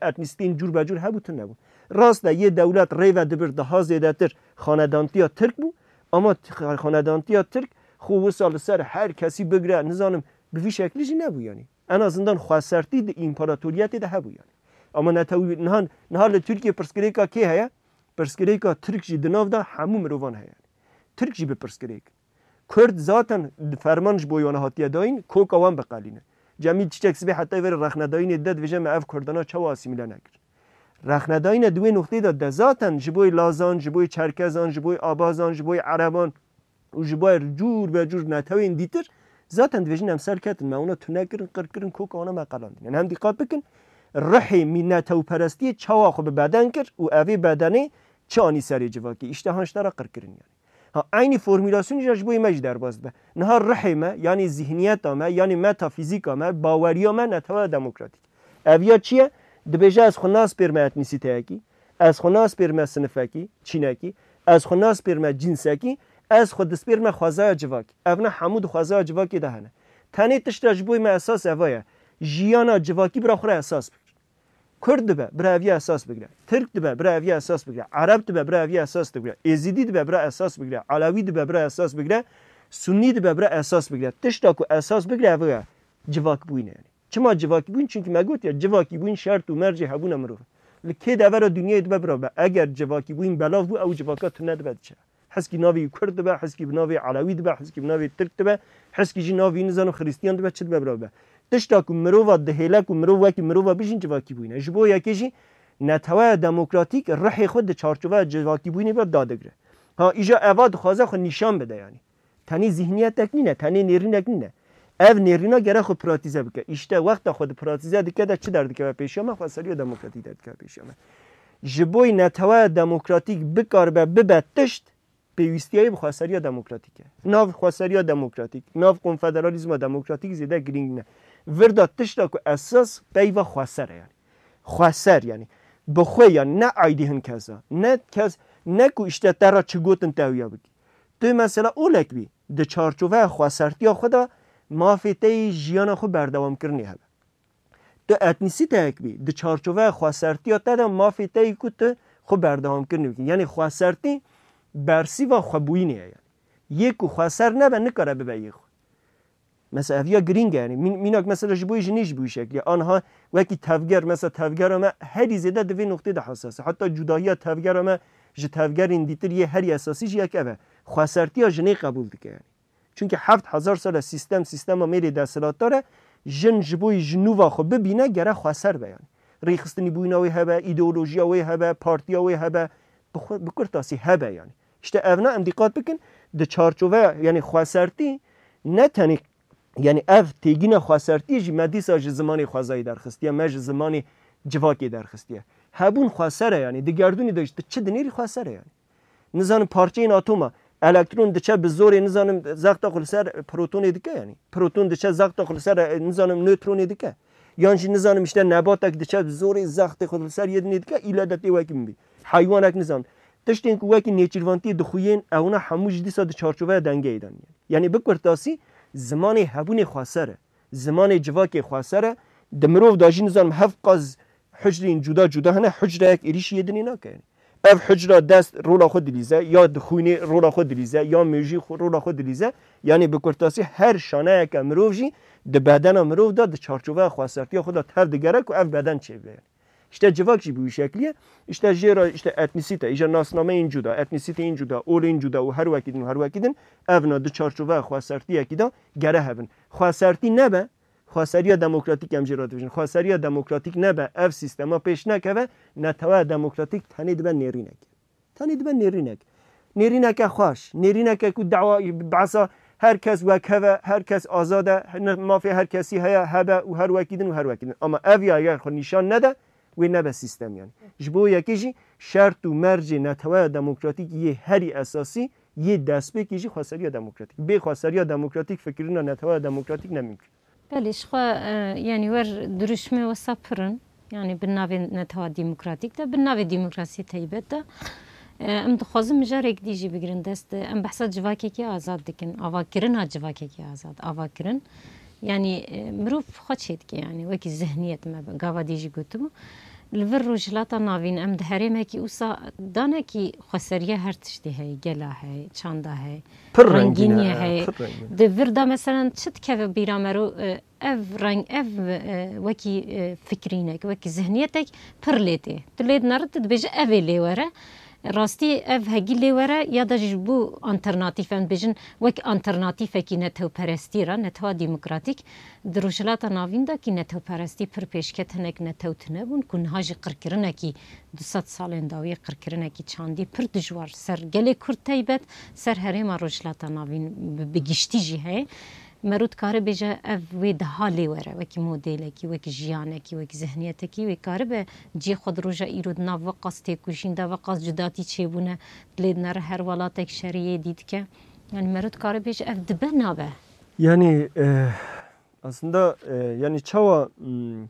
etnîstîn cûr be cûr hebû tune bû. Rast e, yê dewlet rêve dibir daha zêdetir xanedantiya Tirk bû. Ama t-, xanedantiya Tirk xwe wisa li ser her kesî bigre, nizanim bi vî şeklî jî nebû yani. En azından xwesertî di împaratoriyetê de hebû yani. Ama netew-, niha, niha li Tirkiye pirsgirêka kê heye? Pirsgirêka Tirk jî di nav de hemû mirovan heye. Tirk jî bi pirsgirêk. Kurd zaten di ferman ji bo wan hatiye dayîn, koka wan biqelîne. Cemîl Çiçek sibê heta vêrê rexnedayînê de dibêje me ev Kurdana çawa asîmîle nekir. Rexnedayîne di wê noqtê de de zaten ji bo Lazan, ji bo Çerkezan, ji bo Abazan, ji bo Ereban û ji bo cûr be cûr netewên dîtir zaten dibêjin em ser ketin, me wana tune kirin, qir kirin, koka wana me qelandin. Yani hem dîqat bikin, rihê mî netewperestiyê çawa xwe bi beden kir û evê bedenê çi anî serê civakê. Îşte han ji te re qir kirin yani. Ha, eynî formûlasyonî jî ji bo me jî derbas dibe. Niha rihê me, yanî zihniyeta me, yanî metafîzîka me, baweriya me netewa demokratîk. Ev ya çi ye? Dibêje ez xwe naspêrme etnîsîteyekî, ez xwe naspêrme sinifekî, çînekî, ez xwe naspêrme cînsekî, ez xwe dispêrme xwezaya civakî. Ev ne hemû di xwezaya civakê de hene. Tenê tişta ji bo me esas eva ye. Jiyana civakî bira xwe re esas bikir. Kurd dibe, bira ev ya esas bigire. Tirk dibe, bira ev ya esas bigire. Ereb dibe, bira ev ya esas bigire. Êzidî dibe, bira esas bigire. Elewî dibe, bira esas bigire. Sunnî dibe, bira esas bigire. Tişta ku esas bigire, ev e civakbûyîn e yani. Çima civakîbûyîn? Çimkî me got ya, civakîbûyîn şert û mercê hebûna mirov e. Li kê devera dinyayê dibe bira be. Eger civakîbûyîn belav bû, ew civaka tune dibe diçe. Heskî navê wî Kurd dibe, heskî bi navê Elewî dibe, heskî bi navê Tirk dibe, heskî jî navê wî nizanim Xirîstiyan dibe, çi dibe bira be. Tişta ku mirova dihêle ku mirov wekî mirova bijîn civakîbûyîn e. Ji bo yekê jî netewaya demokratîk rihê xwe di çarçoveya civakîbûyînê ve dadigire. Ha, îja eva dixwaze xwe nîşan bide yanî. Tenê zîhniyetek nîne, tenê nêrînek nîne. Ev nêrîna gere xwe pratîze bike. Îşte wexta xwe di pratîze dike de çi derdikeve pêşiya me? Xweseriya demokratîk derdikeve pêşiya me. Ji bo netewaya demokratîk bikaribe bibe tişt, pêwîstiyayê bi xweseriya demokratîk e. Nav xweseriya demokratîk, nav konfederalîzma demokratîk zêde girîng ne. Vir de tişta ku esas peyva xweser e yani. Xweser yani. Bi xwe yani ne aydî hin kesa. Ne kes, ne ku işte te re çi gotin te wiya bikî. Tu mesela olek bî, di çarçoveya xwesertiya xwe de mafê te yî jiyana xwe berdewamkirinê hebe. Tu etnîsîteyek bî, di çarçoveya xwesertiya te de mafê te yî ku tu xwe berdewamkirinê bikî. Yani xwesertî bersîva xwebûyînê ye yani. Yê ku xweser nebe nikare bibe yê xwe. Mesela ev ya girîng e yani. Mîn-, mînak mesela ji bo jinî jî bû şeklî. Anha wekî tevger, mesela tevgera me herî zêde di vê noqtê de hesas e. Heta cudahiya tevgera me ji tevgerên dîtir yê herî esasî jî yek ev e. Xwesertiya jinê qebûl dike yani. Çunke heft hezar sal e sîstem, sîstema mêrê desthilatdar e. Jin ji bo ji nû ve xwe bibîne gere xweser be yani. Rêxistinî bûyîna wê hebe, îdeolojiya wê hebe, partiya wê hebe, bi xwe, bi kurtasî hebe yani. İşte evna em dîqat bikin, di çarçoveya, yani xwesertî ne tenê, yani ev têgîna xwesertiyê jî me dîsa ji zimanê xwezayî derxistiye, me ji zimanê civakê derxistiye. Hebûn xweser e yani, di gerdûnê de jî tu çi dinêrî xweser e yani. Nizanim parçeyên atoma, elektron diçe bi zorê nizanim zexta xwe li ser protonê dike yani. Proton diçe zexta xwe li ser, e, nizanim nötronê dike. Yan jî nizanim işte nebatek diçe bi zorê zextê xwe li ser yê dinê dike, île de tê wekî min bî. Heywanek nizanim. Tiştên ku wekî nêçîrvantiyê dixuyên, ewna hemû jî dîsa di çarçoveya dengeyê de ne. Yani bi kurtasî zimanê hebûnê xweser e. Zimanê civakê xweser e. Di mirov de jî nizanim hevqas hucreyên cuda cuda hene, hucreyek êrîşî yê dinê nake yani. Ev hucra dest rola xwe dilîze, ya di xwînê rola xwe dilîze, ya mêjî xwe, rola xwe dilîze. Yanî bi kurtasî her şaneyeke mirov jî di bedena mirov de, di çarçoveya xwesertiya xwe de tev digere ku ev beden çêbibe. İşte civak jî bi wî şeklî ye. İşte jê re işte etnîsîte, îja nasnameyên cuda, etnîsîteyên cuda, olên cuda û her wekî din û her wekî din, evna di çarçoveya xwesertiyekî de gere hebin. Xwesertî nebe, xweseriya demokratîk em jê re dibêjin. Xweseriya demokratîk nebe, ev sîstema pêş nekeve, neteweya demokratîk tenê dibe nêrînek. Tenê dibe nêrînek. Nêrîneke xweş, nêrîneke ku dawa behsa her kes wek hev e, her kes azad e, ne-, mafê her kesî heye, hebe û her wekî din û her wekî din. Ama ev ya eger xwe nîşan nede, wê nebe sîstem yani. Ji bo yekê jî şert û mercê neteweya demokratîk yê herî esasî, yê destpêkê jî xweseriya demokratîk. Bê xweseriya demokratîk fikirîna neteweya demokratîk ne mimkun. Belê, ji xwe, e, yanî wer dirûşmê wisa pir in. Yanî bi navê netewa demokratîk de, bi navê demokrasiyê taybet de, e, em dixwazin mijarek dî jî bigirin dest. Em behsa civakekî azad dikin, avakirina civakekî azad, avakirin. Yanî, e, mirov xwe çêdike, yanî wekî zihniyet me gava dî jî gotibû. Li vir Rojhilata Navîn em di herêmekî wisa danekî xweseriya her tiştê heye, gela heye, çanda heye, Pir rengîn e, rengîniyê heye. Pir rengîn. Di vir de meselen çi dikeve bîra me ro, e, ev reng, ev, e, wekî, e, fikrînek, wekî zihniyetek pir lê tê. Tu lê dinere, tu dibêje ev ê lê were. Rastî ev hegî lê were ya da jî ji bo alternatîf, em dibêjin wek alternatîfekî netewperestî re, netewa demokratîk, di Rojhilata Navîn de kî netewperestî pir pêşket hinek netew tune bûn ku niha jî qirkirinekî du sed salên dawî, qirkirinekî çandî pir dijwar ser gelê Kurd taybet, ser herêma Rojhilata Navîn bi, bi giştî jî heye. Mero dikare bêje ev wê daha lê were, wekî modelekî, wekî jiyanekî, wekî zihniyetekî wê karibe cihê xwe di roja îro di nav veqas têkoşîn de, veqas cudatî çêbûne, lê dinere her welatek şeriyê dî dike. Yani mero dikare bêje ev dibe nabe. Yani, e, aslında, e, yani çawa, hmm,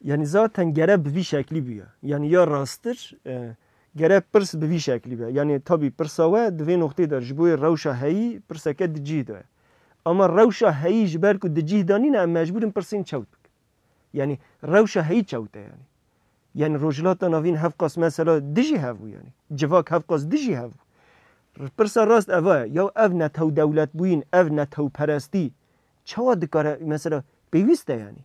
yani zaten gere bi vî şeklî bûye. Yani ya rasttir, e, gere pirs bi vî şeklî be. Yani tabî pirsa we di vê noqtê de ji bo yê rewşa heyî pirseke di cih de ye. Ama rewşa heyî ji ber ku di cih de nîne, em mecbûr in pirsên çewt bikin. Yani rewşa heyî çewt e yani. Yani Rojhilata Navîn hevqas mesela dijî hev bû yani. Civak hevqas dijî hev bû. Pirsa rast eva ye. Ya ev netew dewletbûyîn, ev netewperestî çawa dikare mesela pêwîst e yani?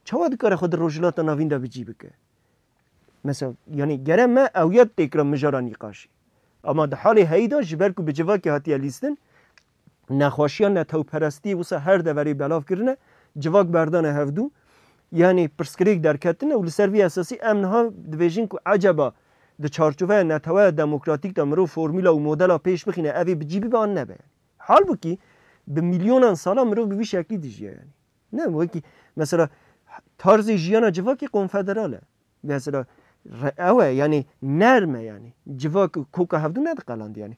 Çawa dikare xwe di Rojhilata Navîn de bi cî bike? Mesela, yani gere me ew ya têkira mijara nîqaşê. Ama di halê heyî de ji ber ku bi civakê hatiye lîstin, nexweşiya netewperestiyê wisa her deverê belav kirine, civak berdane hevdû, yani pirsgirêk derketine û li ser vî esasî em niha dibêjin ku eceba di çarçoveya neteweya demokratîk de mirov formûla û modela pêş bixîne, ev ê bi cî bibe an nebe yani. Halbûkî bi milyonan sala mirov bi vî şeklî dijiye yani. Ne, wekî, mesela, tarzê jiyana civakê konfederal e. Mesela, re-, ew e, yani, nerm e, yani. Civak koka hevdû nediqelandî, yani.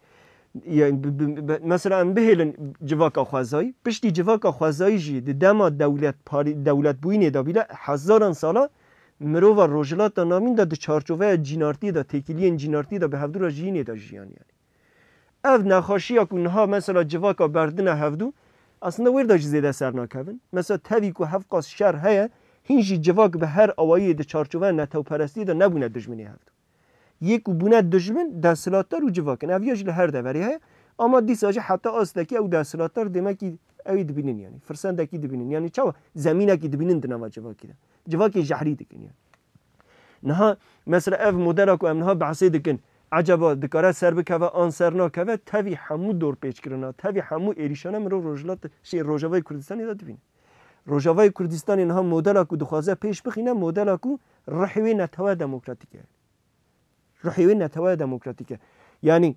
Yani, bi, bi, bi, mesela em bihêlin civaka xwezayî. Piştî civaka xwezayî jî di dema dewlet parî-, dewletbûyînê de bîle hezaran sala mirova Rojhilata Navîn de di çarçoveya cînartiyê de, têkiliyên cînartiyê de bi hevdû re jiyînê de jiyan yani. Ev nexweşiya ku niha mesela civaka berdine hevdû, aslında wêr de jî zêde ser nakevin. Mesela tevî ku hevqas şer heye, hîn jî civak bi her awayî di çarçoveya netewperestiyê de nebûne dijminê hevdû. Yê ku bûne dijmin, desthilatdar û civak in. Ev ya jî li her deverê heye. Ama dîsa jî heta astekî ew desthilatdar demekî ew ê dibînin yani. Firsendekî dibînin. Yani çawa zemînekî dibînin di nava civakî de. Civakê jehrî dikin yani. Niha mesela ev modela ku em niha behsê dikin, ecaba dikare ser bikeve an ser nakeve, tevî hemû dorpêçkirina, tevî hemû êrîşana mirov Rojhilat, şey, Rojavayê Kurdistanê de dibîne. Rojavayê Kurdistanê niha modela ku dixwaze pêş bixîne, modela ku ruhê wê netewe demokratîk e. Ruhê wê netewe demokratîk e. Yani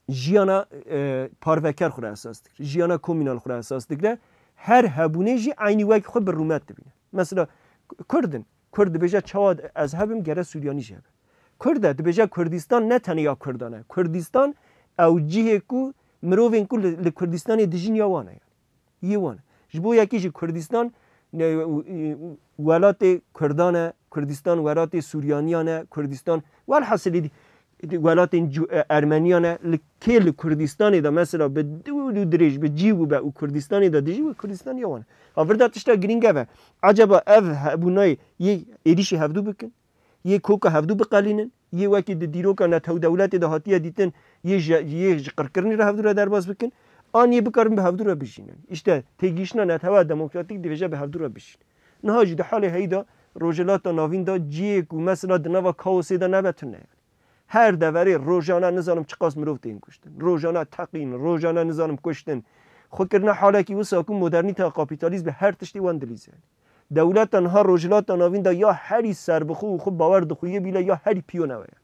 jiyana, e, parveker xwe re esas dikir. Jiyana komînal xwe re esas dikire. Her hebûnê jî eynî wek xwe bi rûmet dibîne. Mesela Kurd in. Kurd dibêje çawa ez hebim gere Suryanî jî hebe. Kurd e, dibêje Kurdistan ne tenê ya Kurdan e. Kurdistan ew cihê ku mirovên ku li, li Kurdistanê dijîn ya wan e. Yê wan e. Ji bo yekî jî Kurdistan, ne, welatê Kurdan e, Kurdistan welatê Suryaniyan e, Kurdistan, welhasilî di-, welatên cu-, e, Ermeniyan e, li kê li Kurdistanê de mesela bi dû û dirêj, bi cî û be û Kurdistanê de dijî wê Kurdistan ya wan e. Ha vir de tişta girîng ev e. Ecaba ev hebûnayê yê êrîşî hevdû bikin? Yê koka hevdû biqelînin, yê wekî di dîroka netewdewletê de hatiye dîtin, yê ji, yê ji qirkirinê re hevdû re derbas bikin, an yê bikarin bi hevdû re bijînin. Îşte têgihiştina netewa demokratîk dibêje bi hevdû re bijîn. Niha jî di halê heyî de Rojhilata Navîn de cihê ku mesela di nava kaosê de nebe tune ye. Her deverê rojane nizanim çiqas mirov tên kuştin. Rojane teqîn, rojane nizanim kuştin. Xwe kirine halekî wisa ku modernîteya kapîtalîst bi her tiştê wan dilîze. Dewleta niha Rojhilata Navîn de ya herî serbixwe û xwe bawer di xwe yê bîle ya herî piyo newe ye.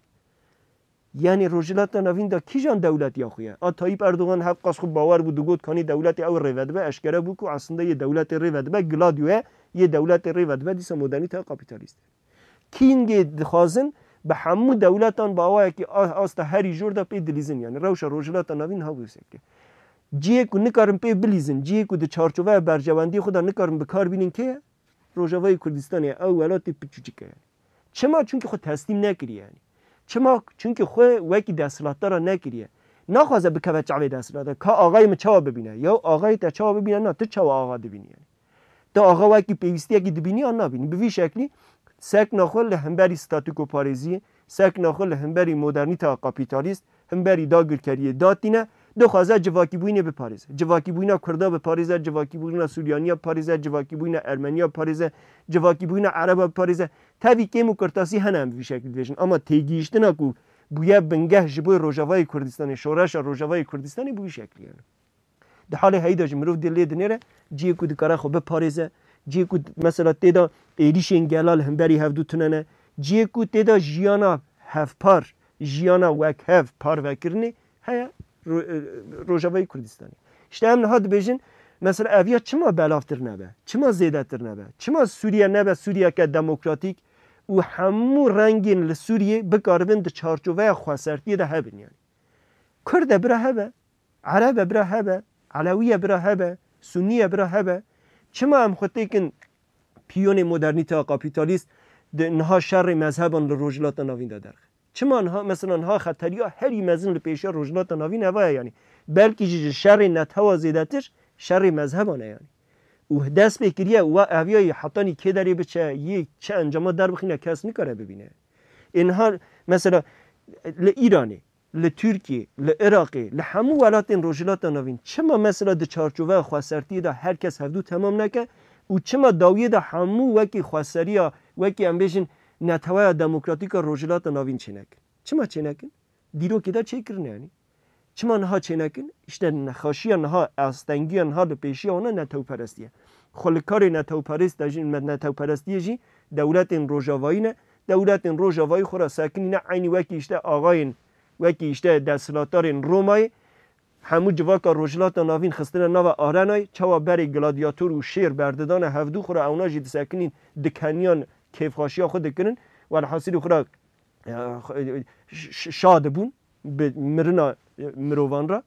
Yani Rojhilata Navîn de kîjan dewlet ya xwe ye? A Tayyip Erdogan hevqas xwe bawer bû, digot kanî dewletê ew rêve dibe, eşkere bû ku aslında yê dewletê rêve dibe, Gladio ye, yê dewletê rêve dibe, dîsa modernîteya kapîtalîst e. Kîngê dixwazin bi hemû dewletan bi awayekî a-, asta herî jor de pê dilîzin. Yani rewşa Rojhilata Navîn ha wê şeklê. Cihê ku nikarin pê bilîzin, cihê ku di çarçoveya berjewendiyê xwe de nikarin bi kar bînin kê ye? Rojavayê Kurdistanê ye, ew welatê piçûçik e. Çima? Çunkî xwe teslîm nekiriye yani. Çima? Çunkî xwe wekî desthilatdara nekiriye. Naxwaze bikeve çavê desthilatdar. Ka axayê min çawa bibîne? Ya axayê te çawa bibîne? Na, tu çawa axa dibînî yani? Tu axa wekî pêwîstiyekî dibînî an nabînî? Bi vî şeklî sekna xwe li hemberî statûkoparêziyê, sekna xwe li hemberî modernîteya kapîtalîst, hemberî dagirkeriyê datîne, dixwaze civakîbûyînê biparêze. Civakîbûyîna Kurda biparêze, civakîbûyîna Suryaniya biparêze, civakîbûyîna Ermeniya biparêze, civakîbûyîna Ereba biparêze. Tevî kêm û kurtasî hene em vî şeklî dibêjin. Ama têgihiştina ku bûye bingeh ji bo Rojavayê Kurdistanê, şoreşa Rojavayê Kurdistanê bi wî şeklî ye. Di halê heyî de jî mirov dê lê dinêre, cihê ku dikare xwe biparêze, cihê ku mesela tê de êrîşên gela li hemberî hevdû tune ne, cihê ku tê de jiyana hevpar, jiyana wekhev parvekirinê heye Ro-, e, Rojavayê Kurdistanê. Îşte em niha dibêjin, mesela ev ya çima belavtir nebe, çima zêdetir nebe, çima Sûriye nebe Sûriyeke demokratîk û hemû rengên li Sûriyê bikaribin di çarçoveya xwesertiyê de hebin yani. Kurd e bira hebe, Ereb e bira hebe, Elewî ye bira hebe, Sunnî ye bira hebe. Çima em xwe têkin piyonê modernîteya kapîtalîst di niha şerê mezheban li Rojhilata Navîn de derxe? Çima niha, mesela niha xeteriya herî mezin li pêşiya Rojhilata Navîn eva ye yanî? Belkî jî ji şerê netewa zêdetir şerê mezheban e yanî. Û dest pê kiriye û wa eviyayî hetanî kê derê biçe, yê çi encama derbixîne kes nikare bibîne. Ê niha mesela li Îranê, li Tirkiyê, li Iraqê, li hemû welatên Rojhilata Navîn çima mesela di çarçoveya xwesertiyê de her kes hevdû temam neke û çima dawiyê de hemû wekî xweseriya, wekî em bêjin neteweya demokratîk a Rojhilata Navîn çênekin? Çima çênekin? Dîrokê de çêkirine yanî. Çima niha çênekin? Îşte nexweşiya niha, astengiya niha li pêşiya wan e netewperestî ye. Xwe li karê netewperest de jî, me-, netewperestiyê jî dewletên rojavayî ne. Dewletên rojavayî xwe re sekinîne eynî wekî îşte axayên, wekî îşte desthilatdarên Romayê hemû civaka Rojhilata Navîn xistine nava arenayê, çawa berê gladyator û şêr berdidane hevdû xwe re ewna jî disekinîn, dikeniyan kêfxweşiya xwe dikirin. Welhasilî xwe re, e, ş-, ş-, şa dibûn bi mirina e, mirovan re,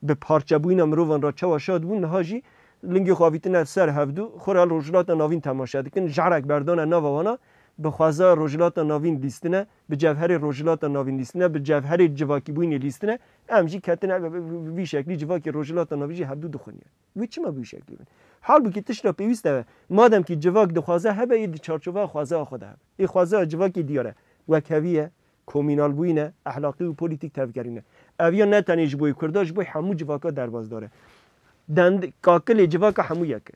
bi parçebûyîna mirovan re çawa şa dibûn, niha jî lingê xwe avîtine ser hevdû, xwe re li Rojhilata Navîn temaşe dikin. Jarek berdane nava wana, bi xweza Rojhilata Navîn lîstine, bi cevherê Rojhilata Navîn lîstine, bi cevherê civakîbûyînê lîstine. Em jî ketine bi, bi, bi vî şeklî civakê Rojhilata Navîn jî hevdû dixwinîne. Wê çima bi wî şeklî bin? Halbûkî tişta pêwîst ev e. Madem kî civak dixwaze hebe, yê di çarçoveya xwezaya xwe de hebe. Ê xwezaya civakê diyar e. Wekhevî ye, komînalbûyîn e, ehlaqî û polîtîk tevgerîn e. Ev ya ne tenê ji bo yê Kurda, ji bo hemû civaka derbasdar e. Dend-, kakilê civaka hemû yek e.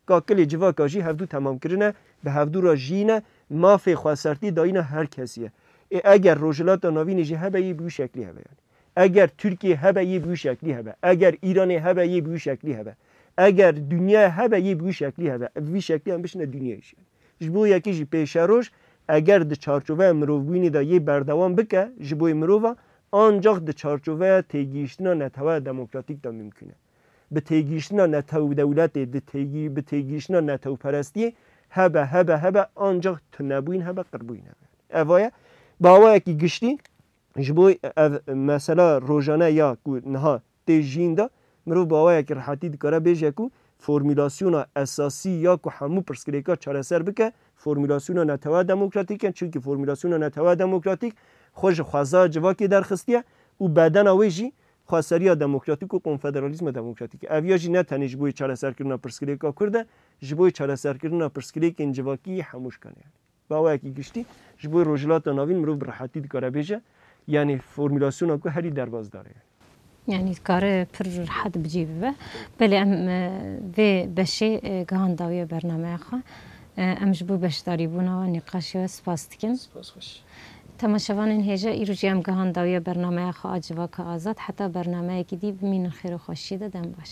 Kakilê civaka jî hevdû temam kirine, bi hevdû re jiyîne, mafê xwesertî dayîna her kesî ye. Ê eger Rojhilata Navînê jî hebe, yê bi wî şeklî hebe yani. Eger Tirkiye hebe, yê bi wî şeklî hebe. Eger Îranê hebe, yê bi wî şeklî hebe. Eger dinyayê hebe, yê bi wî şeklî hebe. Bi vî şeklî em bişine dinyayê jî. Ji bo yekê jî pêşeroj, eger di çarçoveya mirovbûyînê de yê berdewam bike, ji bo yê mirova, ancax di çarçoveya têgihiştina neteweya demokratîk de mimkun e. Bi têgihiştina netew dewletê, di têgî-, bi têgihiştina netewperestiyê hebe, hebe, hebe, ancax tunebûyîn hebe, qirbûyîn hebe. Eva ye. Bi awayekî giştî, ji bo ev mesela rojane ya ku niha tê jiyîn de, mirov bi awayekî rihetî dikare bêje ku formulasyona esasî ya ku hemû pirsgirêka çareser bike, formulasyona netewa demokratîk e. Çimkî formulasyona netewa demokratîk xwe ji xwezaya civakê derxistiye û bedena wê jî xweseriya demokratîk û konfederalîzma demokratîk e. Ev ya jî ne tenê ji bo yê çareserkirina pirsgirêka Kurd e, ji bo yê çareserkirina pirsgirêkên civakî yê hemû şikane ye. Bi awayekî giştî, ji bo Rojhilata Navîn mirov bi rehetî dikare bêje, yanî formulasyona ku herî derbasdar e. Yanî dikare pir rehet bi cî bibe. Belê em, e, vê beşê, e, gihan dawiya bernameya xwe. E, em ji bo beşdarîbûna we nîqaşê we spas dikin. Spas xweş. Temaşevanên hêja, îro jî em gihan dawiya bernameya xwe a Civaka Azad. Heta bernameyekî dî bimînin xêr û xweşiyê de, dem baş.